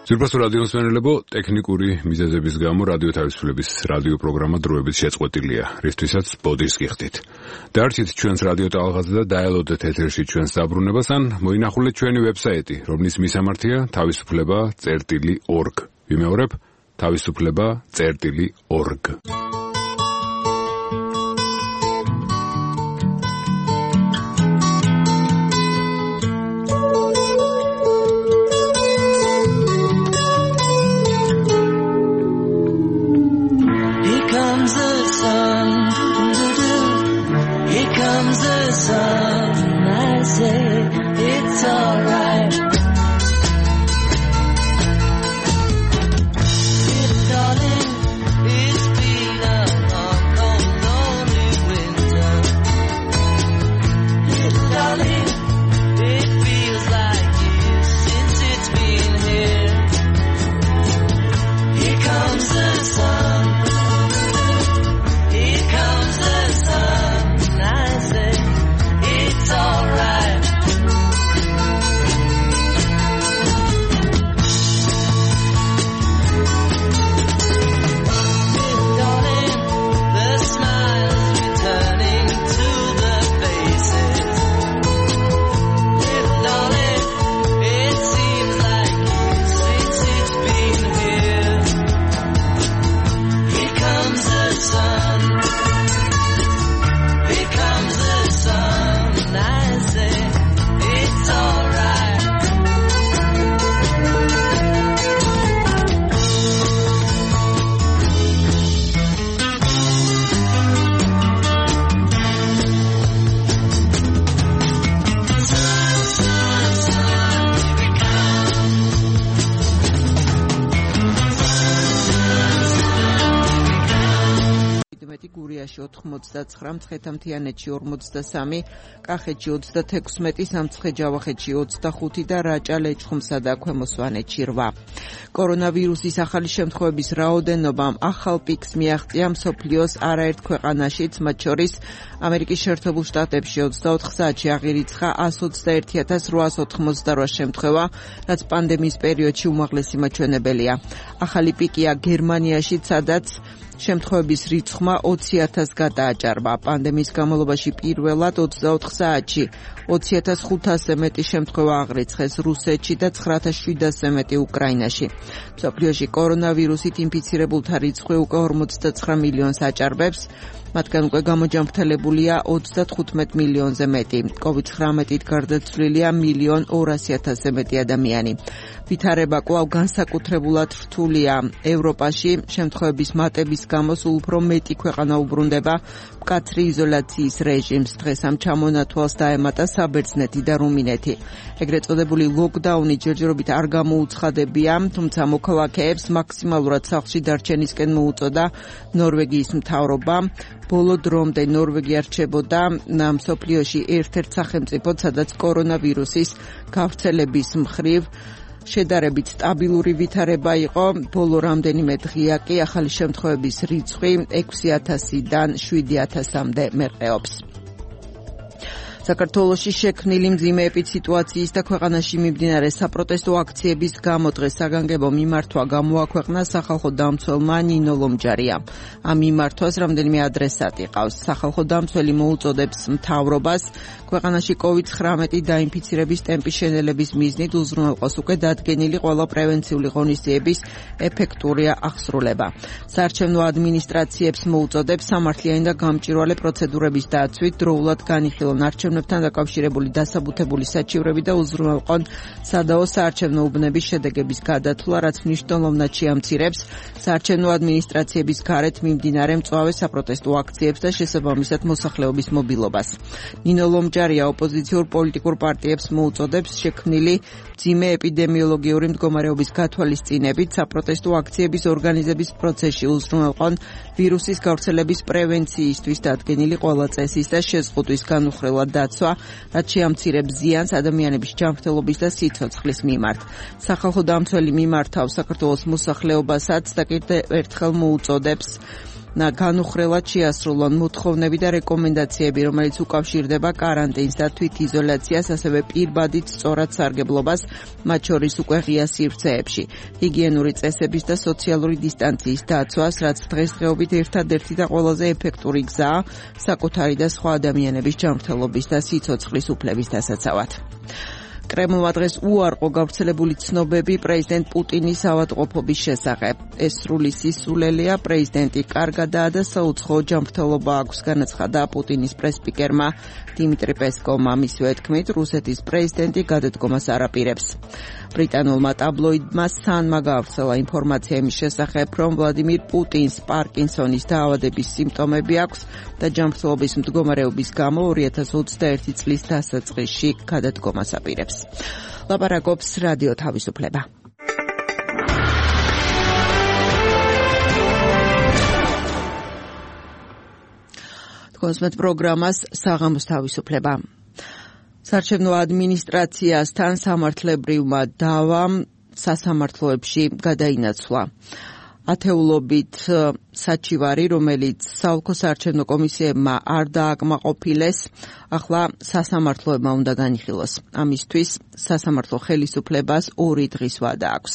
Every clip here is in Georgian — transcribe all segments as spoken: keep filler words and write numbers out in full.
ძვირფასო რადიო მსმენელებო, ტექნიკური მიზეზების გამო რადიო თავისუფლების რადიო პროგრამა დროებით შეწყვეტილია, რისთვისაც ბოდიშს გიხდით. დაარჩით ჩვენს რადიო ტალღაზე და დაელოდეთ ეთერში ჩვენს დაბრუნებას, ან მოინახულეთ ჩვენი ვებსაიტი, რომლის მისამართია თავისუფლება წერტილი ორგ. ვიმეორებ, თავისუფლება წერტილი ორგ. It's alright. Little darling, it's been a long, cold, lonely winter. Little darling, it feels like years since it's been here. Here comes the sun. Here comes the sun. I say it's alright. ოთხმოცდაცხრა, მცხეთა-მთიანეთში ორმოცდასამი, კახეთში ოცდათექვსმეტი, სამცხე-ჯავახეთში ოცდახუთი და რაჭა-ლეჩხუმსა და ქვემო სვანეთში რვა. კორონავირუსის ახალი შემთხვევების რაოდენობამ ახალ პიკს მიაღწია მსოფლიოს არაერთ ქვეყანაშიც, მათ შორის ამერიკის შეერთებულ შტატებში ოცდაოთხ საათში აღირიცხა ასს ოცდაერთი ათას რვაას ოთხმოცდარვა შემთხვევა, რაც პანდემიის პერიოდში უმაღლესი მაჩვენებელია. ახალი პიკია გერმანიაში, სადაც შემთხვევების რიცხვმა ოცი ათასს გადააჭარბა. პანდემიის განმავლობაში პირველად ოცდაოთხ საათში ოცი ათას ხუთასზე მეტი შემთხვევა აღრიცხეს რუსეთში და ცხრა ათას შვიდასზე მეტი უკრაინაში. მსოფლიოში კორონავირუსით ინფიცირებულთა რიცხვი უკვე ორმოცდაცხრა მილიონს აჭარბებს, მათგან უკვე გამოჯანმრთელებულია ოცდათხუთმეტ მილიონზე მეტი. კოვიდ ცხრამეტით გარდაცვლილია მილიონ ორასი ათასზე მეტი ადამიანი. ვითარება კვლავ განსაკუთრებულად რთულია ევროპაში. შემთხვევების მატების გამო სულ უფრო მეტი ქვეყანა უბრუნდება მკაცრი იზოლაციის რეჟიმს. დღეს ამ ჩამონათვალს დაემატა საბერძნეთი და რუმინეთი. ეგრეთ წოდებული ლოკდაუნი ჯერჯერობით არ გამოუცხადებია, თუმცა მოქალაქეებს მაქსიმალურად სახლში დარჩენისკენ მოუწოდა ნორვეგიის მთავრობა. ბოლო დრომდე ნორვეგია რჩებოდა მსოფლიოში ერთ-ერთ სახელმწიფოდ, სადაც კორონავირუსის გავრცელების მხრივ შედარებით სტაბილური ვითარება იყო. ბოლო რამდენიმე დღეა კი ახალი შემთხვევების რიცხვი ექვსი ათასიდან შვიდი ათასამდე მერყეობს. საქართველოში შექმნილი მძიმე ეპიდსიტუაციის და ქვეყანაში მიმდინარე საპროტესტო აქციების გამო დღეს საგანგებო მიმართვა გამოაქვეყნა სახალხო დამცველმა ნინო ლომჯარიამ. ამ მიმართვას რამდენიმე ადრესატი ყავს. სახალხო დამცველი მოუწოდებს მთავრობას ქვეყანაში კოვიდ ცხრამეტი დაინფიცირების ტემპის შენელების მიზნით უზრუნველყოს უკვე დადგენილი ყველა პრევენციული ღონისძიების ეფექტური აღსრულება. საარჩევნო ადმინისტრაციებს მოუწოდებს სამართლიანი და გამჭვირვალე პროცედურების დაცვით დროულად განიხილონ არჩევნებთან დაკავშირებული დასაბუთებული საჩივრები და უზრუნველყონ სადაო საარჩევნო უბნების შედეგების გადათვლა, რაც მნიშვნელოვნად შეამცირებს საარჩევნო ადმინისტრაციების გარეთ მიმდინარე მწვავე საპროტესტო აქციებს და შესაბამისად მოსახლეობის მობილობას. ნინო ლომჯარია ოპოზიციურ პოლიტიკურ პარტიებს მოუწოდებს შექმნილი მძიმე ეპიდემიოლოგიური მდგომარეობის გათვალისწინებით საპროტესტო აქციების ორგანიზების პროცესში უზრუნველყონ ვირუსის გავრცელების პრევენციისთვის დადგენილი ყველა წესის და შეზღუდვის განუხრელად დაცვა, რაც შეამცირებს ზიანს ადამიანების ჯანმრთელობის და სიცოცხლის მიმართ. სახალხო დამცველი მიმართავს საქართველოს მოსახლეობასაც და კიდევ ერთხელ მოუწოდებს განუხრელად შეასრულონ მოთხოვნები და რეკომენდაციები, რომელიც უკავშირდება კარანტინს და თვითიზოლაციას, ასევე პირბადით სწორად სარგებლობას, მათ შორის უკვე ღია სივრცეებში, ჰიგიენური წესების და სოციალური დისტანციის დაცვას, რაც დღესდღეობით ერთადერთი და ყველაზე ეფექტური გზაა საკუთარი და სხვა ადამიანების ჯანმრთელობის და სიცოცხლის უფლების დასაცავად. კრემლმა დღეს უარყო გავრცელებული ცნობები პრეზიდენტ პუტინის ავადმყოფობის შესახებ. ეს სრული სისულელეა, პრეზიდენტი კარგადაა და საუცხოო ჯანმრთელობა აქვს, განაცხადა პუტინის პრესსპიკერმა დიმიტრი პესკოვმა. მისივე თქმით, რუსეთის პრეზიდენტი გადადგომას არ აპირებს. ბრიტანულმა ტაბლოიდმა სანმა გავრცელა ინფორმაცია იმის შესახებ, რომ ვლადიმირ პუტინს პარკინსონის დაავადების სიმპტომები აქვს და ჯანმრთელობის მდგომარეობის გამო ორი ათას ოცდაერთი წლის დასაწყისში გადადგომას აპირებს. ლაპარაკობს რადიო თავისუფლება. კონსმეთ პროგრამას საღამოს თავისუფლება. საარჩევნო ადმინისტრაციასთან სამართლებრივმა დავამ სასამართლოებში გადაინაცვლა. ათეულობით საჩივარი, რომელიც საოლქო საარჩევნო კომისიებმა არ დააკმაყოფილეს, ახლა სასამართლოებმა უნდა განიხილოს. ამისთვის სასამართლო ხელისუფლებას ორი დღის ვადა აქვს.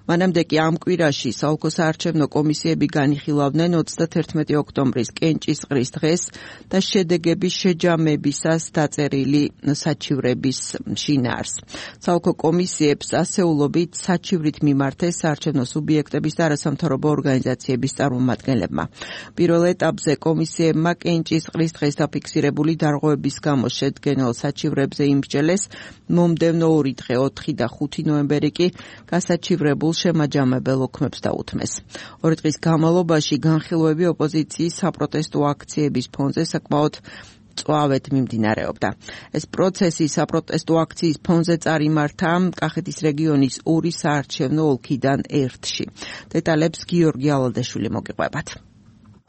მანამდე კი ამ კვირაში საოლქო საარჩევნო კომისიები განიხილავდნენ ოცდათერთმეტი ოქტომბრის კენჭისყრის დღეს და შედეგების შეჯამებისას დაწერილი საჩივრების შინაარს. საოლქო კომისიებს ასეულობით საჩივრით მიმართეს საარჩევნო სუბიექტების და არასამთავრობო ორგანიზაციების წარმომადგენლებმა. პირველ ეტაპზე კომისიებმა კენჭისყრის დღეს დაფიქსირებული დარღვევების გამო შედგენილ საჩივრებზე იმსჯელეს, მომდევნო ორი დღე, ოთხი და ხუთი ნოემბერი კი გასაჩივრებულ შემაჯამებელ ოქმებს დაუთმეს. ორი დღის განმავლობაში განხილვები ოპოზიციის საპროტესტო აქციების ფონზე საკმაოდ წვავეთ მიმდინარეობდა. ეს პროცესი საპროტესტო აქციის ფონზე წარიმართა კახეთის რეგიონის ორი საარჩევნო ოლქიდან ერთში. დეტალებს გიორგი ალადაშვილი მოგიყვებათ.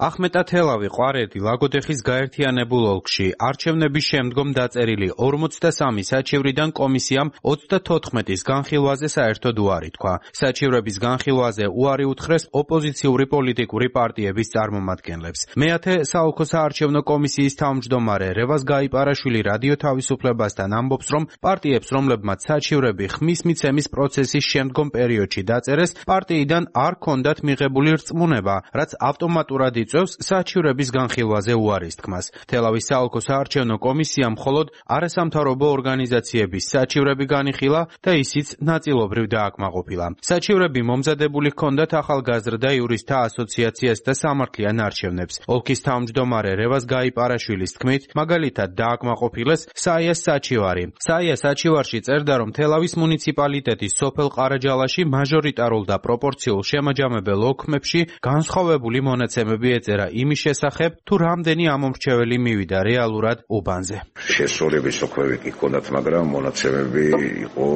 ახმეტათელავი, ყვარეთი, ლაგოდეხის გაერთიანებულ ოლქში არჩევნების შემდგომ დაწერილი ორმოცდასამი საჩივრიდან კომისიამ ოცდათოთხმეტის განხილვაზე საერთოდ უარი თქვა. საჩივრების განხილვაზე უარი უთხრეს ოპოზიციური პოლიტიკური პარტიების წარმომადგენლებს. მეათე საოლქო საარჩევნო კომისიის თავმჯდომარე რევაზ გაიპარაშვილი რადიო თავისუფლებასთან ამბობს, რომ პარტიებს, რომლებმაც საჩივრები ხმის მიცემის პროცესის შემდგომ პერიოდში დაწერეს, პარტიიდან არ ჰქონდათ მიღებული რწმუნება, რაც ავტომატურად იწვევს საჩივრების განხილვაზე უარის თქმას. თელავის საოლქო საარჩევნო კომისიამ მხოლოდ არასამთავრობო ორგანიზაციების საჩივრები განიხილა და ისიც ნაწილობრივ დააკმაყოფილა. საჩივრები მომზადებული ჰქონდათ ახალგაზრდა იურისტთა ასოციაციას და სამართლიან არჩევნებს. ოლქის თავმჯდომარე რევაზ გაიპარაშვილის თქმით, მაგალითად დააკმაყოფილეს საიას საჩივარი. საია საჩივარში წერდა, რომ თელავის მუნიციპალიტეტის სოფელ ყარაჯალაში მაჟორიტარულ და პროპორციულ შემაჯამებელ ოქმებში განსხვავებული მონაცემები ეწერა იმის შესახებ, თუ რამდენი ამომრჩეველი მივიდა რეალურად უბანზე. შესრულების ოქმები კი ჰქონდათ, მაგრამ მონაცემები იყო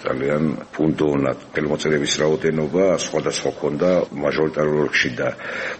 ძალიან ფუნდონად. ხელმოწერების რაოდენობა სხვადასხვა ჰქონდა მაჟორიტარულ ოლქში და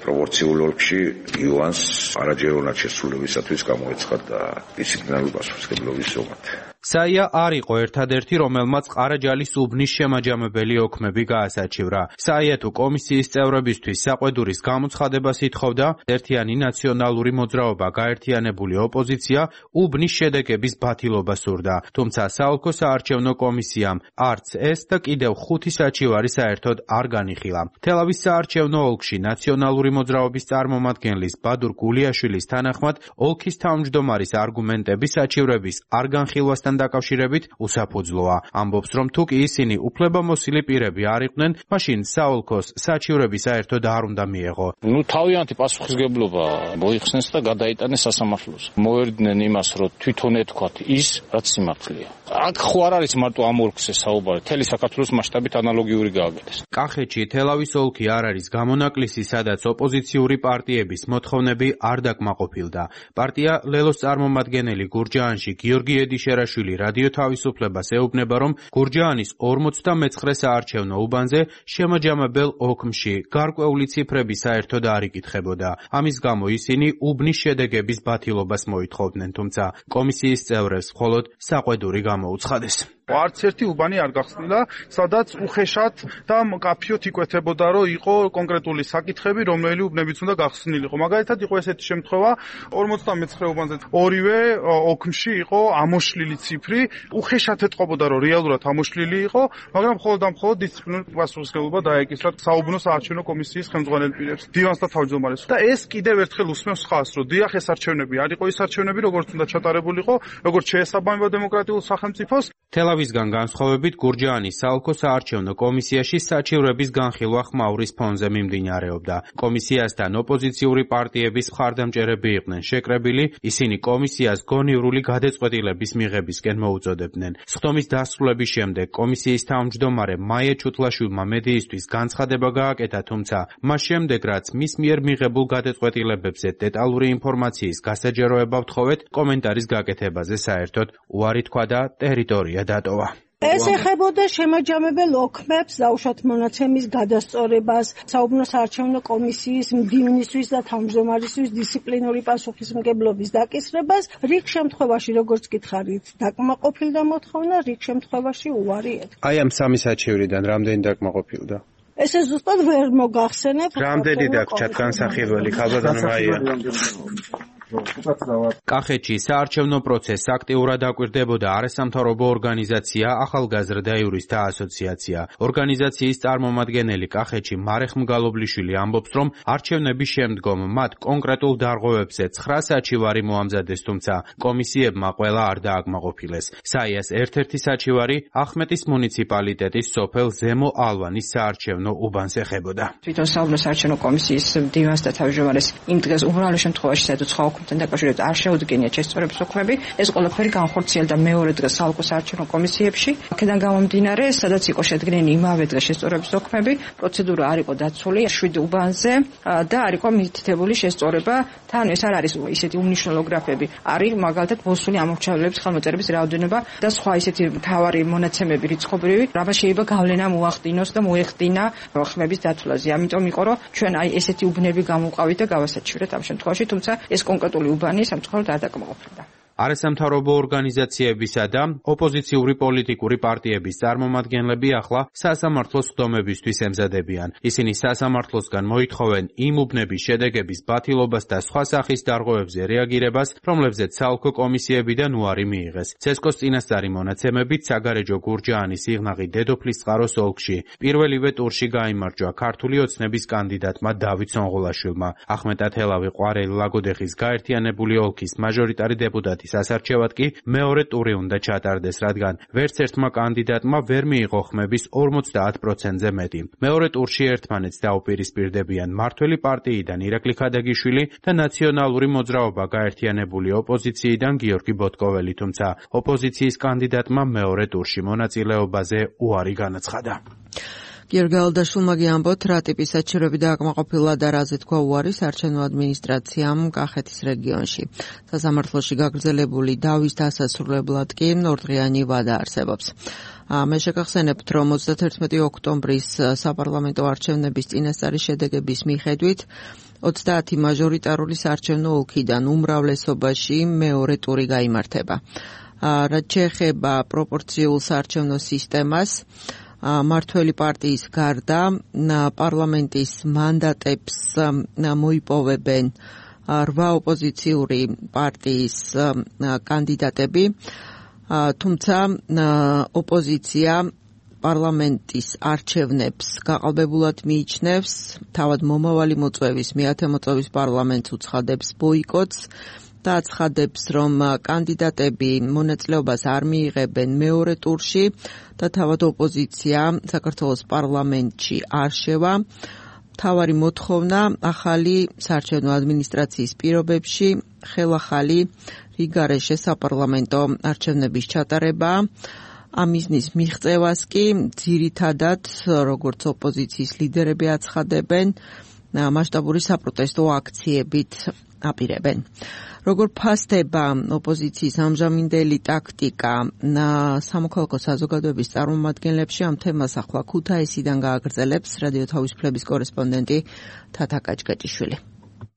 პროპორციულ ოლქში იუანს არაჯეროვნად შესრულებისათვის გამოეცხადა დისციპლინარული პასუხისმგებლობის ზომად. საია არ იყო ერთადერთი, რომელმაც ყარაჯალის უბნის შემაჯამებელი ოქმები გაასაჩივრა. საია თუ კომისიის წევრებისთვის საყვედურის გამოცხადებას ითხოვდა, ერთიანი ნაციონალური მოძრაობა გაერთიანებული ოპოზიცია უბნის შედეგების ბათილობა სურდა. თუმცა საოლქო საარჩევნო კომისიამ არც ეს და კიდევ ხუთი საჩივარი საერთოდ არ განიხილა. თელავის საარჩევნო ოლქში ნაციონალური მოძრაობის წარმომადგენლის ბადურ გულიაშვილის თანახმად, ოლქის თავმჯდომარის არგუმენტები საჩივრების არ განხილვასთან დაკავშირებით უსაფუძვლოა. ამბობს, რომ თუ კი ისინი უფლებამოსილი პირები არ იყვნენ, მაშინ საოლქოს საჩივრები საერთოდ არ უნდა მიეღო. ნუ თავიანთი პასუხისმგებლობა მოიხსნეს და გადაიტანეს სასამართლოს. მოერდნენ იმას, რომ თვითონ ეთქვათ ის, რაც სიმართლეა. აქ ხო არ არის მარტო ამ ოლქზე საუბარი, მთელი საქართველოს მასშტაბით ანალოგიური გააკეთეს. კახეთში თელავის ოლქი არ არის გამონაკლისი, სადაც ოპოზიციური პარტიების მოთხოვნები არ დაკმაყოფილდა. პარტია ლელოს წარმომადგენელი გურჯაანში გიორგი ედიშერაშვილი რადიო თავისუფლებას ეუბნება, რომ გურჯაანის ორმოცდამეცხრე საარჩევნო უბანზე შემაჯამებელ ოქმში გარკვეული ციფრები საერთოდ არ იკითხებოდა. ამის გამო ისინი უბნის შედეგების ბათილობას მოითხოვდნენ, თუმცა კომისიის წევრებს მხოლოდ საყვედური გამოუცხადეს. არც ერთი უბანი არ გახსნილა, სადაც უხეშად და მკაფიოდ იკვეთებოდა, რომ იყო კონკრეტული საკითხები, რომელი უბნებიც უნდა გახსნილიყო. მაგალითად, იყო ესეთი შემთხვევა, ორმოცდამეცხრე უბანზე ორივე ოქმში იყო ამოშლილი ციფრი, უხეშად ეთყობოდა, რომ რეალურად ამოშლილი იყო, მაგრამ მხოლოდ და მხოლოდ დისციპლინური პასუხისმგებლობა დაეკისრა საუბნო საარჩევნო კომისიის ხელმძღვანელ პირებს, დივანს და თავმჯდომარეს. და ეს კიდევ ერთხელ უსმევს ხაზს, რომ დიახ, ეს არჩევნები არ იყო ის არჩევნები, როგორც უნდა ჩატარებულიყო, როგორც შეესაბამება დემოკრატიულ სახელმწიფოს. თელავისგან განსხვავებით გურჯაანის საოლქო საარჩევნო კომისიაში საჩივრების განხილვა ხმაურის ფონზე მიმდინარეობდა. კომისიასთან ოპოზიციური პარტიების მხარდამჭერები იყვნენ შეკრებილი, ისინი კომისიას გონივრული გადაწყვეტილების მიღებისკენ მოუწოდებდნენ. სხდომის დასრულების შემდეგ კომისიის თავმჯდომარე მაია ჩუთლაშვილმა მედიისთვის განცხადება გააკეთა, თუმცა მას შემდეგ რაც მის მიერ მიღებულ გადაწყვეტილებებზე დეტალური ინფორმაციის გასაჯაროება ვთხოვეთ, კომენტარის გაკეთებაზე საერთოდ უარი თქვა და ტერიტორია დატოვა. ეს ეხებოდა შემაჯამებელ ოქმებს, დაუშვათ მონაცემის გადასწორებას, საუბნო საარჩევნო კომისიის მდივნისთვის და თავმჯდომარისთვის დისციპლინური პასუხისმგებლობის დაკისრებას, რიგ შემთხვევაში, როგორც გითხარით, დაკმაყოფილდა მოთხოვნა, რიგ შემთხვევაში უარი ეთქვა. აი ამ სამი საჩივრიდან რამდენი დაკმაყოფილდა? ესე ზუსტად ვერ მოგახსენებ. რამდენი დაგჭათ განსახილველი, ხალბატონო მაია? კახეთში საარჩევნო პროცესს აქტიურად აკვირდებოდა არასამთავრობო ორგანიზაცია ახალგაზრდა იურისტთა ასოციაცია. ორგანიზაციის წარმომადგენელი კახეთში მარეხ მგალობლიშვილი ამბობს, რომ არჩევნების შემდგომ მათ კონკრეტულ დარღვევებზე ცხრა საჩივარი მოამზადეს, თუმცა კომისიებმა ყველა არ დააკმაყოფილეს. საიას ერთ-ერთი საჩივარი ახმეტის მუნიციპალიტეტის სოფელ ზემო ალვანის საარჩევნო უბანს ეხებოდა. თვითონ საუბნო საარჩევნო კომისიის დივანს და თავმჯდომარეს იმ დღეს უმრავლეს შემთხვევაში საერთოდ სხვა ოქმთან დაკავშირებით არ შეუდგენიათ შესწორების ოქმები. ეს ყველაფერი განხორციელდა მეორე დღეს საოლქო საარჩევნო კომისიებში. აქედან გამომდინარე, სადაც იყო შედგენილი იმავე დღეს შესწორების ოქმები, პროცედურა არ იყო დაცული შვიდ უბანზე და არ იყო მითითებული შესწორება. თან ეს არ არის ისეთი უმნიშვნელო გრაფები. არის მაგალითად მოსული ამორჩევლების ხელმოწერების რაოდენობა და სხვა ისეთი მთავარი მონაცემები რიცხობრივი, რამაც შეიძლება გავლენა მოახდინოს და მოეხდინა ხმების დათვლაზე. ამიტომ იყო, რომ ჩვენ აი ესეთი უბნები გამოვყავით და გავასაჩივრეთ ამ შემთხვევაში, თუმცა ეს კონკრეტული უბანი სამწუხაროდ არ დაკმაყოფილდა. არასამთავრობო ორგანიზაციებისა და ოპოზიციური პოლიტიკური პარტიების წარმომადგენლები ახლა სასამართლოს სხდომებისთვის ემზადებიან. ისინი სასამართლოსგან მოითხოვენ იმ უბნების შედეგების ბათილობას და სხვა სახის დარღვევებზე რეაგირებას, რომლებზეც საოლქო კომისიებიდან უარი მიიღეს. ცესკოს წინასწარი მონაცემებით საგარეჯო გურჯაანის სიღნაღი დედოფლის წყაროს ოლქში პირველივე ტურში გაიმარჯვა ქართული ოცნების კანდიდატმა დავით სონღოლაშვილმა. ახმეტ ათელავი ყვარელი ლაგოდეხის გაერთიანებული ოლქის მაჟორიტარი დეპუტატი სასარჩევად კი მეორე ტური უნდა ჩატარდეს, რადგან ვერც ერთმა კანდიდატმა ვერ მიიღო ხმების ორმოცდაათ პროცენტზე მეტი. მეორე ტურში ერთმანეთს დაუპირისპირდებიან მართველი პარტიიდან ირაკლი ქადაგიშვილი და ნაციონალური მოძრაობა გაერთიანებული ოპოზიციიდან გიორგი ბოტკოველი, თუმცა ოპოზიციის კანდიდატმა მეორე ტურში მონაწილეობაზე უარი განაცხადა. გიორგი ალდაშვილმა გიამბოთ, რა ტიპის საჩივრები დააკმაყოფილა და რაზე თქვა უარი საარჩევნო ადმინისტრაციამ კახეთის რეგიონში. სასამართლოში გაგრძელებული დავის დასასრულებლად კი ორდღიანი ვადა არსებობს. მე შეგახსენებთ, რომ ოცდათერთმეტი ოქტომბრის საპარლამენტო არჩევნების წინასწარი შედეგების მიხედვით ოცდაათი მაჟორიტარული საარჩევნო ოლქიდან უმრავლესობაში მეორე ტური გაიმართება. რაც შეეხება პროპორციულ საარჩევნო სისტემას, მართველი პარტიის გარდა პარლამენტის მანდატებს მოიპოვებენ რვა ოპოზიციური პარტიის კანდიდატები, თუმცა ოპოზიცია პარლამენტის არჩევნებს გაყალბებულად მიიჩნევს, თავად მომავალი მოწვევის მეათე მოწვევის პარლამენტს უცხადებს ბოიკოტს და აცხადებს, რომ კანდიდატები მონაწილეობას არ მიიღებენ მეორე ტურში და თავად ოპოზიცია საქართველოს პარლამენტში არ შევა. მთავარი მოთხოვნა ახალი საარჩევნო ადმინისტრაციის პირობებში ხელახალი რიგარეშე საპარლამენტო არჩევნების ჩატარებაა. ამ მიზნის მიღწევას კი ძირითადად, როგორც ოპოზიციის ლიდერები აცხადებენ, მასშტაბური საპროტესტო აქციებით აპირებენ. როგორ ფასდება ოპოზიციის ამჟამინდელი ტაქტიკა სამოქალაქო საზოგადოების წარმომადგენლებში, ამ თემას ახლა ქუთაისიდან გააგრძელებს რადიო თავისუფლების კორესპონდენტი თათა კაჭკაჭიშვილი.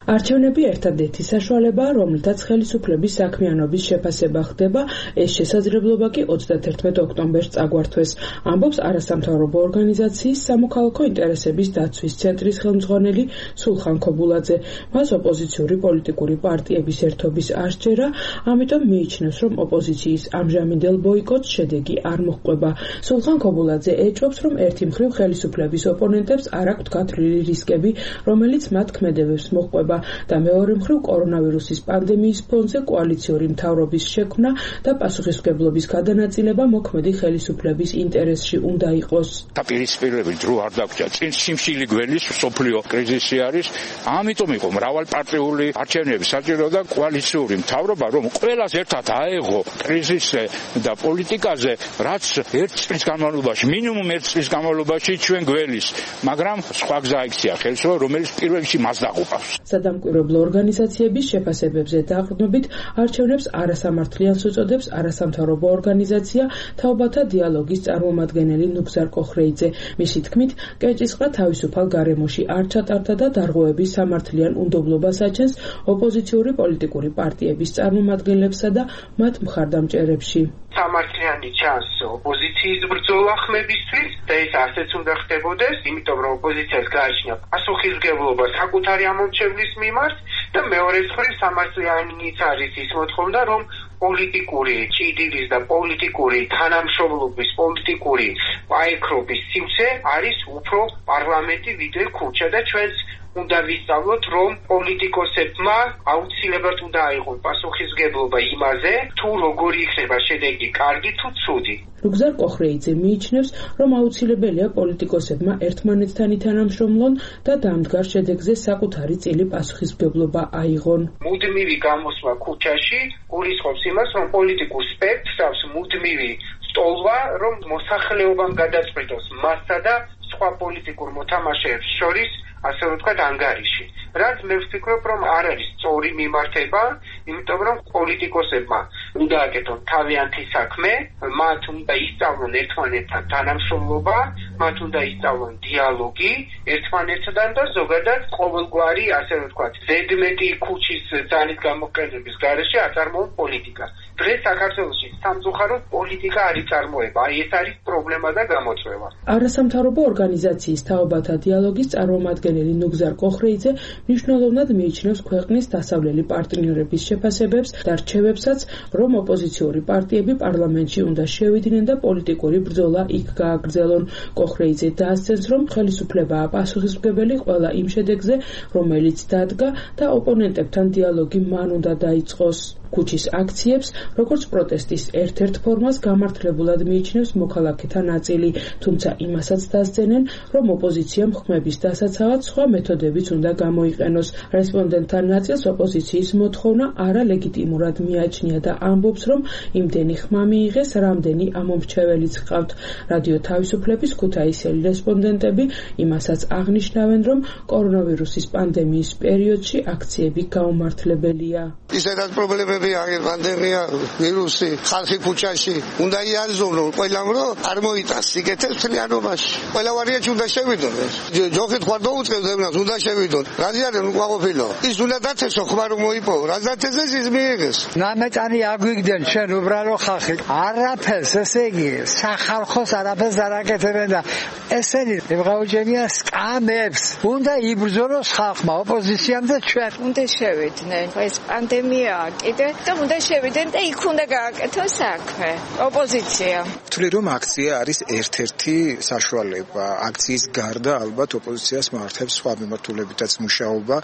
არჩევნები ერთადერთი საშუალებაა, რომლითაც ხელისუფლების საქმიანობის შეფასება ხდება, ეს შესაძლებლობა კი ოცდათერთმეტ ოქტომბერს წაგვართვეს, ამბობს არასამთავრობო ორგანიზაციის სამოქალაქო ინტერესების დაცვის ცენტრის ხელმძღვანელი სულხან ქობულაძე. მას ოპოზიციური პოლიტიკური პარტიების ერთობის არ სჯერა, ამიტომ მიიჩნევს, რომ ოპოზიციის ამჟამინდელ ბოიკოტს შედეგი არ მოჰყვება. სულხან ქობულაძე ეჭვობს, რომ ერთი მხრივ ხელისუფლების ოპონენტებს არ აქვთ გათვლილი რისკები, რომელიც მათ ქმედებებს მოჰყვება და მეორე მხრივ კორონავირუსის პანდემიის ფონზე კოალიციური მთავრობის შექმნა და პასუხისმგებლობის გადანაწილება მოქმედი ხელისუფლების ინტერესში უნდა იყოს. დაპირისპირებული დრო არ დაგჭა, წინ სიმშილი გველის სოფლიო კრიზისი არის, ამიტომ იყო მრავალპარტიული არჩევნები საჭირო და კოალიციური მთავრობა, რომ ყველას ერთად აეღო კრიზისზე და პოლიტიკაზე, რაც ერთ წლის განმავლობაში, მინიმუმ ერთ წლის განმავლობაში ჩვენ გველის, მაგრამ სხვა გზა იქცია ხელისუფლება, რომელიც პირველ რიგში მას დაყუპავს. სადამკვირვებლო ორგანიზაციების შეფასებებზე დაყრდნობით არჩევნებს არასამართლიანს უწოდებს არასამთავრობო ორგანიზაცია თაობათა დიალოგის წარმომადგენელი ნუგზარ კოხრეიძე. მისი თქმით, კეჭისყრა თავისუფალ გარემოში არ ჩატარდა და დარღვევების სამართლიან უნდობლობას აჩენს ოპოზიციური პოლიტიკური პარტიების წარმომადგენლებსა და მათ მხარდამჭერებში. სამართლიანი ჩანს ოპოზიციის ბრძოლა ხმებისთვის და ეს ასეც უნდა ხდებოდეს, იმიტომ რომ ოპოზიციას გააჩნია პასუხისმგებლობა საკუთარი ამომრჩევლის მიმართ და მეორე მხრივ სამართლიანიც არის ის მოთხოვნა, რომ პოლიტიკური ჭიდილის და პოლიტიკური თანამშრომლობის, პოლიტიკური პაექრობის სივრცე არის უფრო პარლამენტი ვიდრე ქუჩა და ჩვენს უნდა ვისწავლოთ, რომ პოლიტიკოსებმა აუცილებლად უნდა აიღონ პასუხისმგებლობა იმაზე, თუ როგორი იქნება შედეგი, კარგი თუ ცუდი. ნუგზარ კოხრეიძე მიიჩნევს, რომ აუცილებელია პოლიტიკოსებმა ერთმანეთთან ითანამშრომლონ და დამდგარ შედეგზე საკუთარი წილი პასუხისმგებლობა აიღონ. მუდმივი გამოსვლა ქუჩაში გულისხმობს იმას, რომ პოლიტიკურ სპექტრს აქვს მუდმივი სტოლვა, რომ მოსახლეობამ გადაწყვიტოს მასსა და სხვა პოლიტიკურ მოთამაშეებს შორის, ასე ვთქვათ, ანგარიში. რაც მე ვფიქრობ, რომ არ არის სწორი მიმართება, იმიტომ რომ პოლიტიკოსებმა უნდა აკეთონ თავიანთი საქმე, მათ უნდა ისწავლონ ერთმანეთთან თანამშრომლობა, მათ უნდა ისწავლონ დიალოგი ერთმანეთთან და ზოგადად ყოველგვარი, ასე ვთქვათ, ზედმეტი ქუჩის ძალის გამოყენების გარეშე აწარმოონ პოლიტიკას. დღეს საქართველოში სამწუხაროდ პოლიტიკა არ იწარმოება, აი ეს არის პრობლემა და გამოწვევა. არასამთავრობო ორგანიზაციის თაობათა დიალოგის წარმომადგენელი ნუგზარ კოხრეიძე მნიშვნელოვნად მიიჩნევს ქვეყნის დასავლელი პარტნიორების შეფასებებს და რჩევებსაც, რომ ოპოზიციური პარტიები პარლამენტში უნდა შევიდნენ და პოლიტიკური ბრძოლა იქ გააგრძელონ. კოხრეიძე დაასცენს, რომ ხელისუფლებაა პასუხისმგებელი ყველა იმ შედეგზე, რომელიც დადგა და ოპონენტებთან დიალოგი მან უნდა დაიწყოს. ქუჩის აქციებს, როგორც პროტესტის ერთ-ერთ ფორმას გამართლებულად მიიჩნევს მოქალაქეთა ნაწილი, თუმცა იმასაც დასძენენ, რომ ოპოზიციამ ხმების დასაცავად სხვა მეთოდებიც უნდა გამოიყენოს. რესპონდენტთა ნაწილს ოპოზიციის მოთხოვნა არალეგიტიმურად მიაჩნია და ამბობს, რომ იმდენი ხმა მიიღეს, რამდენი ამომრჩეველიც ჰყავთ. რადიო თავისუფლების ქუთაისელი რესპონდენტები იმასაც აღნიშნავენ, რომ კორონავირუსის პანდემიის პერიოდში აქციები გაუმართლებელია. ისედაც პრობლემები არის პანდემია, ვირუსი, ხალხი ქუჩაში უნდა იარზონონ ყველამ, რომ არ მოიტანს სიკეთეს მთლიანობაში. ყველა ვარიანტი უნდა შევიდონ. ჯოხით ხარ დაუწყებს ემნას, უნდა შევიდონ. რაზი არის უკმაყოფილო? ის უნდა დათესო ხმა რომ მოიპოვო. რა დათესეს ის მიიღეს. ნამეტანი აგვიგდნენ ჩვენ უბრალო ხალხი. არაფერს, ესე იგი, სახალხოს არაფერს არ აკეთებენ და ესენი ემღაუჯენია სკამებს. უნდა იბრძოლოს ხალხმა, ოპოზიციამ და ჩვენ. უნდა შევიდნენ. ეს პანდემიაა კიდე და უნდა შევიდნენ და იქ უნდა გააკეთოს საქმე. ოპოზიცია. ვთვლი რომ აქცია არის ერთ-ერთი საშუალება. აქციის გარდა ალბათ ოპოზიციას მართებს სხვა მიმართულებითაც მუშაობა,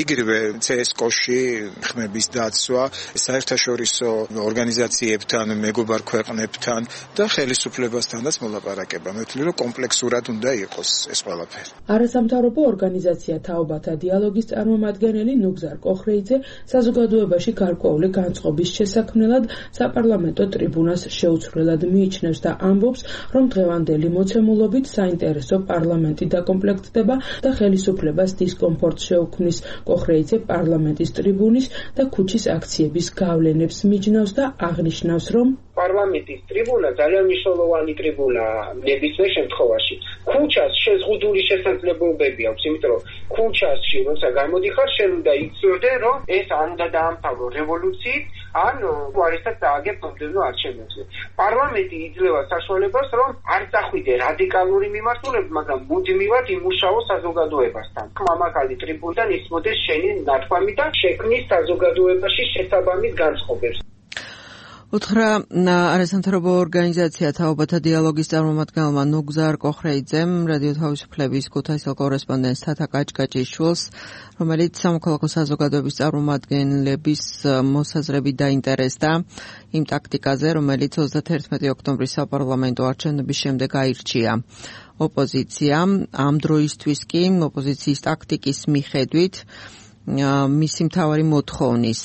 იგივე ცსკოში ხმების დაცვა, საერთაშორისო ორგანიზაციებთან, მეგობარ ქვეყნებთან და ხელისუფლებასთანაც მოლაპარაკება. მე ვთვლი რომ კომპლექსურად უნდა იყოს ეს ყველაფერი. არასამთავრობო ორგანიზაცია თაობათა დიალოგის წარმომადგენელი ნუგზარ კოხრეიძე საზოგადოებაში გარკვეული განწყობის შესაქმნელად საპარლამენტო ტრიბუნას შეუცვლელად მიიჩნევს და ამბობს, რომ დღევანდელი მოცემულობით საინტერესო პარლამენტი დაკომპლექტდება და ხელისუფლებას დისკომფორტს შეუქმნის. კოხრეიძე პარლამენტის ტრიბუნის და ქუჩის აქციების გავლენებს მიჯნავს და აღნიშნავს, რომ პარლამენტის ტრიბუნა ძალიან მნიშვნელოვანი ტრიბუნაა ნებისმიერ შემთხვევაში. ქუჩას შეზღუდული შესაძლებლობები აქვს, იმიტომ რომ ქუჩასში როცა გამოდიხარ, შენ უნდა იცოდე, რომ ეს ან უნდა დაამთავრო რევოლუციით, ან უარესად დააგებ მომდევნო არჩევნებზე. პარლამენტი იძლევა საშუალებას, რომ არ წახვიდე რადიკალური მიმართულებით, მაგრამ მუდმივად იმუშაო საზოგადოებასთან. მამაკალი ტრიბუნიდან ისმოდეს შენი ნათქვამი და შექმნის საზოგადოებაში შესაბამის განწყობებს. უთხრა არასამთავრობო ორგანიზაცია თაობათა დიალოგის წარმომადგენელმა ნუგზარ კოხრეიძემ რადიო თავისუფლების ქუთაისელ კორესპონდენტს თათა კაჭკაჭიშვილს, რომელიც სამოქალაქო საზოგადოების წარმომადგენლების მოსაზრებით დაინტერესდა იმ ტაქტიკაზე, რომელიც ოცდათერთმეტი ოქტომბრის საპარლამენტო არჩევნების შემდეგ აირჩია ოპოზიციამ. ამ დროისთვის კი ოპოზიციის ტაქტიკის მიხედვით მისი მთავარი მოთხოვნის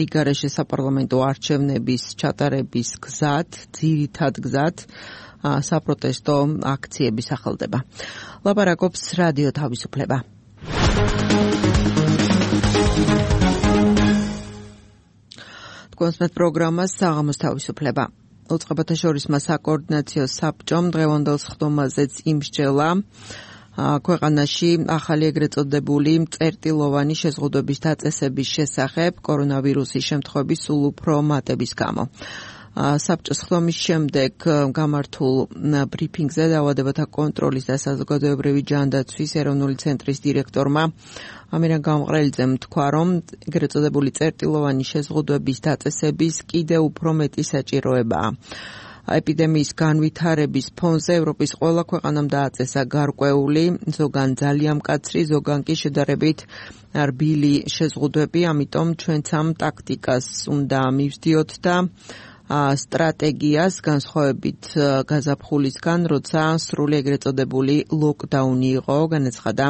რიგარეშე საპარლამენტო არჩევნების ჩატარების გზად, ძირითად გზად საპროტესტო აქციები სახელდება. ლაპარაკობს რადიო თავისუფლება. თქვენს პროგრამას საღამოს თავისუფლება. უწყებათა შორისმა საკოორდინაციო საბჭომ დღევანდელ სხდომაზეც იმსჯელა ქვეყანაში ახალი ეგრეთ წოდებული წერტილოვანი შეზღუდვების დაწესების შესახებ კორონავირუსის შემთხვევების სულ უფრო მატების გამო. საბჭოს ხდომის შემდეგ გამართულ ბრიფინგზე დაავადებათა კონტროლის და საზოგადოებრივი ჯანდაცვის ეროვნული ცენტრის დირექტორმა ამირან გამყრელიძემ თქვა, რომ ეგრეთ წოდებული წერტილოვანი შეზღუდვების დაწესების კიდევ უფრო მეტი საჭიროებაა. ეპიდემიის განვითარების ფონზე ევროპის ყველა ქვეყანამ დააწესა გარკვეული, ზოგან ძალიან მკაცრი, ზოგან კი შედარებით რბილი შეზღუდვები, ამიტომ ჩვენც ამ ტაქტიკას უნდა მივსდიოთ და სტრატეგიას განსხვავებით გაზაფხულისგან, როცა სრული ეგრეთ წოდებული ლოკდაუნი იყო, განაცხადა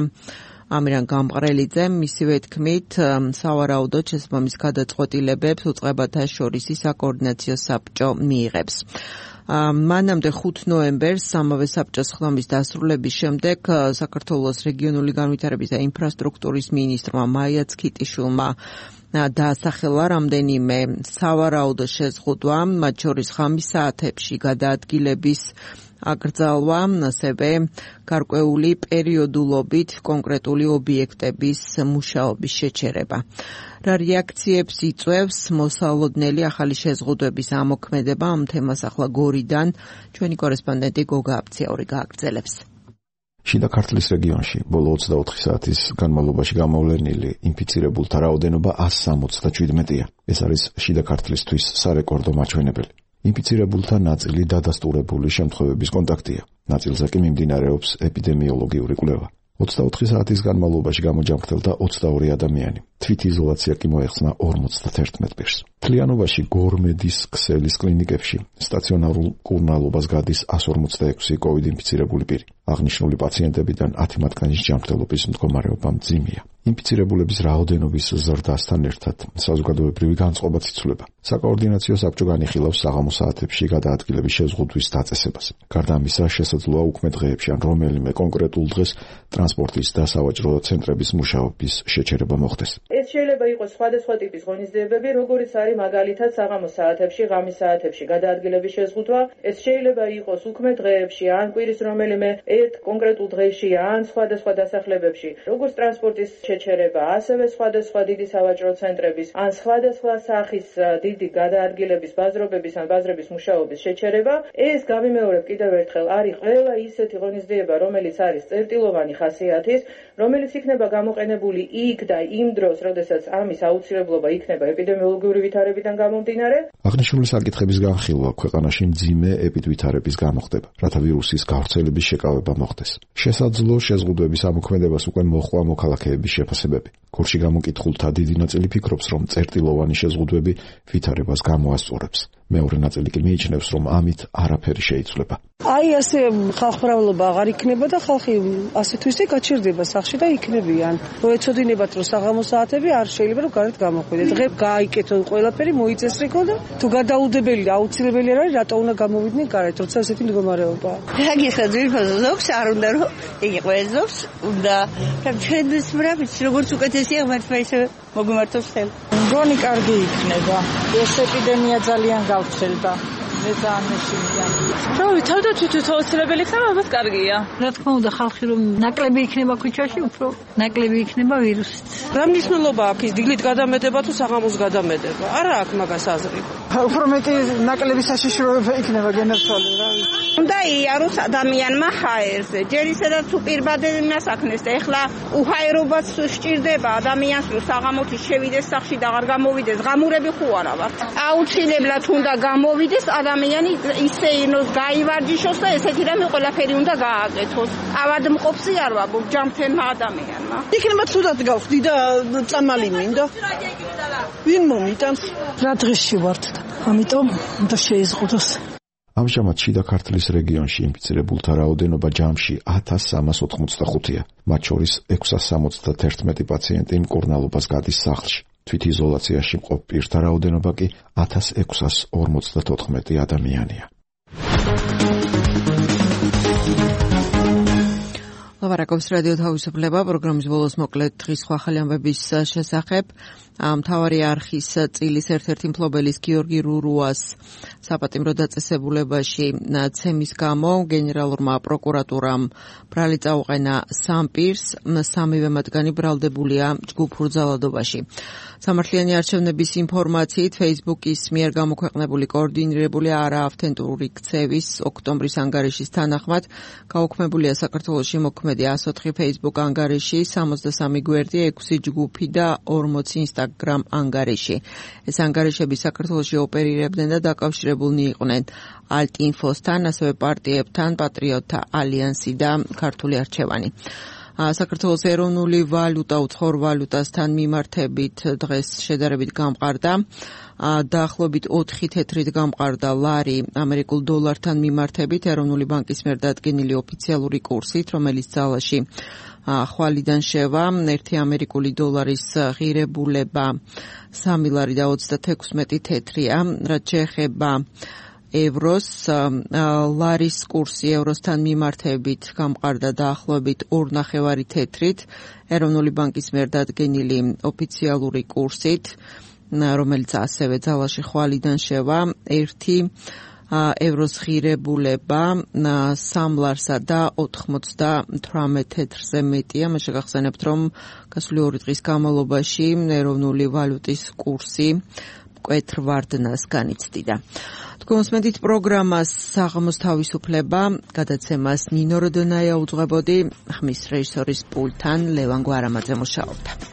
ამირან გამყრელიძე. მისივე თქმით, სავარაუდოდ შესაბამის გადაწყვეტილებებს უწყებათა შორისი საკოორდინაციო საბჭო მიიღებს. მანამდე ხუთ ნოემბერს ამავე საბჭოს ხდომის დასრულების შემდეგ საქართველოს რეგიონული განვითარების და ინფრასტრუქტურის მინისტრმა მაია ცქიტიშვილმა დაასახელა რამდენიმე სავარაუდო შეზღუდვა, მათ შორის ღამის საათებში გადაადგილების აკრძალვა, ასევე გარკვეული პერიოდულობით კონკრეტული ობიექტების მუშაობის შეჩერება. რა რეაქციებს იწვევს მოსალოდნელი ახალი შეზღუდვების ამოქმედება, ამ თემას ახლა გორიდან ჩვენი კორესპონდენტი გოგა აფციაური გააგრძელებს. შიდა ქართლის რეგიონში ბოლო ოცდაოთხი საათის განმავლობაში გამოვლენილი ინფიცირებულთა რაოდენობა ას სამოცდაჩვიდმეტია. ეს არის შიდა ქართლისთვის სარეკორდო მაჩვენებელი. ინფიცირებულთა ნაწილი დადასტურებული შემთხვევების კონტაქტია. ნაწილზე კი მიმდინარეობს ეპიდემიოლოგიური კვლევა. ოცდაოთხი საათის განმავლობაში გამოჯამრთელდა ოცდაორი ადამიანი. თვითიზოლაცია კი მოეხსნა ორმოცდათერთმეტ პირს. მთლიანობაში გორმედის ქსელის კლინიკებში სტაციონარულ კურნალობას გადის ას ორმოცდაექვსი კოვიდ ინფიცირებული პირი. აღნიშნული პაციენტებიდან ათი მათგანის ჯანმრთელობის მდგომარეობა მძიმეა. ინფიცირებულების რაოდენობის ზრდასთან ერთად საზოგადოებრივი განწყობაც იცვლება. საკოორდინაციო საბჭო განიხილავს საღამოს საათებში გადაადგილების შეზღუდვის დაწესებას. გარდა ამისა, შესაძლოა უქმე დღეებში ან რომელიმე კონკრეტულ დღეს ტრანსპორტის და სავაჭრო ცენტრების მუშაობის შეჩერება მოხდეს. ეს შეიძლება იყოს სხვადასხვა ტიპის ღონისძიებები, როგორიც არის მაგალითად საღამოს საათებში, ღამის საათებში გადაადგილების შეზღუდვა. ეს შეიძლება იყოს უქმე დღეებში, ან კვირის რომელიმე ერთ კონკრეტულ დღეში, ან სხვადასხვა დასახლებებში, როგორც ტრანსპორტის შეჩერება, ასევე სხვადასხვა დიდი სავაჭრო ცენტრების, ან სხვადასხვა სახის დიდი გადაადგილების, ბაზრობების ან ბაზრების მუშაობის შეჩერება. ეს გავიმეორებ კიდევ ერთხელ, არის ყველა ისეთი ღონისძიება, რომელიც არის წერტილოვანი ხასიათის, რომელიც იქნება გამოყენებული იქ და იმ დროს, როდესაც ამის აუცილებლობა იქნება ეპიდემიოლოგიური ვითარებიდან გამომდინარე. აღნიშნული საკითხების განხილვა ქვეყანაში მძიმე ეპიდვითარების გამოხდება, რათა ვირუსის გავრცელების შეკავება მოხდეს. შესაძლო შეზღუდვების ამოქმედებას უკვე მოჰყვა მოქალაქეების შეფასებები. გორში გამოკითხულთა დიდი ნაწილი ფიქრობს, რომ წერტილოვანი შეზღუდვები ვითარებას გამოასწორებს. მეორე ნაწილი კი მიიჩნევს, რომ ამით არაფერი შეიცვლება. აი ასე ხალხმრავლობა აღარ იქნება და ხალხი ასე თუ ისე გაჩერდება სახში და იქნებიან. რო ეცოდინებათ, რომ საღამოს საათები არ შეიძლება რომ გარეთ გამოხვიდეთ. დღე გააიკეთო ყველაფერი, მოიწესრიგო და თუ გადაუდებელი და აუცილებელი არ არის, რატო უნდა გამოვიდნენ გარეთ, როცა ასეთი მდგომარეობაა. რა გიხსნა ზოგს არ უნდა რომ იგი ყველა ზოგს უნდა რა ჩვენს მრავალს როგორც უკეთეს ეკლესია ღმერთმა ისე მოგვიმართოს ხელ. მგონი კარგი იქნება. ეს ეპიდემია ძალიან გავცელდა. მე ძალიან მეშინია. რა ვიცი, თავდაცვითი აუცილებელი ხარ, ალბათ კარგია. რა თქმა უნდა, ხალხი რომ ნაკლები იქნება ქუჩაში, უფრო ნაკლები იქნება ვირუსით. რა მნიშვნელობა აქვს ის დილით გადამედება თუ საღამოს გადამედება? არა აქვს მაგას აზრი. უფრო მეტი ნაკლები საშიშროება იქნება გენერცვალი, რა ვიცი. უნდა იაროს ადამიანმა ჰაერზე. ჯერ ისედაც თუ პირბადები მასაკნეს და ეხლა უჰაერობაც სჭირდება ადამიანს, რომ საღამოთი შევიდეს სახში და აღარ გამოვიდეს. ღამურები ხო არა ვართ. აუცილებლად უნდა გამოვიდეს ადამიანი ისე ინოს გაივარჯიშოს და ესეთი რამე ყველაფერი უნდა გააკეთოს. ავადმყოფი არ ვარ ჯამთენმა ადამიანმა. იქნება თუდად გავხდი და წამალი მინდა. ვინ მომიტანს? რა დღეში ვართ და ამიტომ უნდა შეიზღუდოს. ამჟამად შიდა ქართლის რეგიონში ინფიცირებულთა რაოდენობა ჯამში ათას სამას ოთხმოცდახუთია. მათ შორის ექვსას სამოცდათერთმეტი პაციენტი მკურნალობას გადის სახლში. თვითიზოლაციაში მყოფ პირთა რაოდენობა კი ათას ექვსას ორმოცდათოთხმეტი ადამიანია. ლაპარაკობს რადიო თავისუფლება პროგრამის ბოლოს მოკლედ დღის სხვა ახალი ამბების შესახებ. მთავარი არხის წილის ერთ-ერთი მფლობელის გიორგი რურუას საპატიმრო დაწესებულებაში ცემის გამო გენერალურმა პროკურატურამ ბრალი წაუყენა სამ პირს, სამივე მათგანი ბრალდებულია ჯგუფურ ძალადობაში. სამართლიანი არჩევნების ინფორმაციით Facebook-ის მიერ გამოქვეყნებული კოორდინირებული არაავთენტური ქცევის ოქტომბრის ანგარიშის თანახმად გაუქმებულია საქართველოში მოქმედი ას ოთხი Facebook ანგარიში, სამოცდასამი გვერდი, ექვსი ჯგუფი და ორმოცი Instagram ანგარიში. ეს ანგარიშები საქართველოში ოპერირებდნენ და დაკავშირებულნი იყვნენ ალტ-ინფოსთან, ასევე პარტიებთან, პატრიოტთა ალიანსი და ქართული არჩევანი. საქართველოს ეროვნული ვალუტა უცხოურ ვალუტასთან მიმართებით დღეს შედარებით გამყარდა. დაახლოებით ოთხი თეთრით გამყარდა ლარი ამერიკულ დოლართან მიმართებით ეროვნული ბანკის მიერ დადგენილი ოფიციალური კურსით, რომელიც ძალაში ხვალიდან შევა. ერთი ამერიკული დოლარის ღირებულება სამი ლარი და ოცდათექვსმეტი თეთრია. რაც შეეხება ევროს, ლარის კურსი ევროსთან მიმართებით გამყარდა დაახლოებით ორ ნახევარი თეთრით ეროვნული ბანკის მიერ დადგენილი ოფიციალური კურსით, რომელიც ასევე ძალაში ხვალიდან შევა. ერთი ევროს ღირებულება სამ ლარსა და ოთხმოცდათვრამეტ თეთრზე მეტია. მე შეგახსენებთ, რომ გასული ორი დღის განმავლობაში ეროვნული ვალუტის კურსი მკვეთრ ვარდნას განიცდიდა. თქვენ მოსმენთ პროგრამას საღამოს თავისუფლება, გადაცემას ნინო როდონაია უძღვებოდი, ხმის რეჟისორის პულტთან ლევან გვარამაძე მუშაობდა.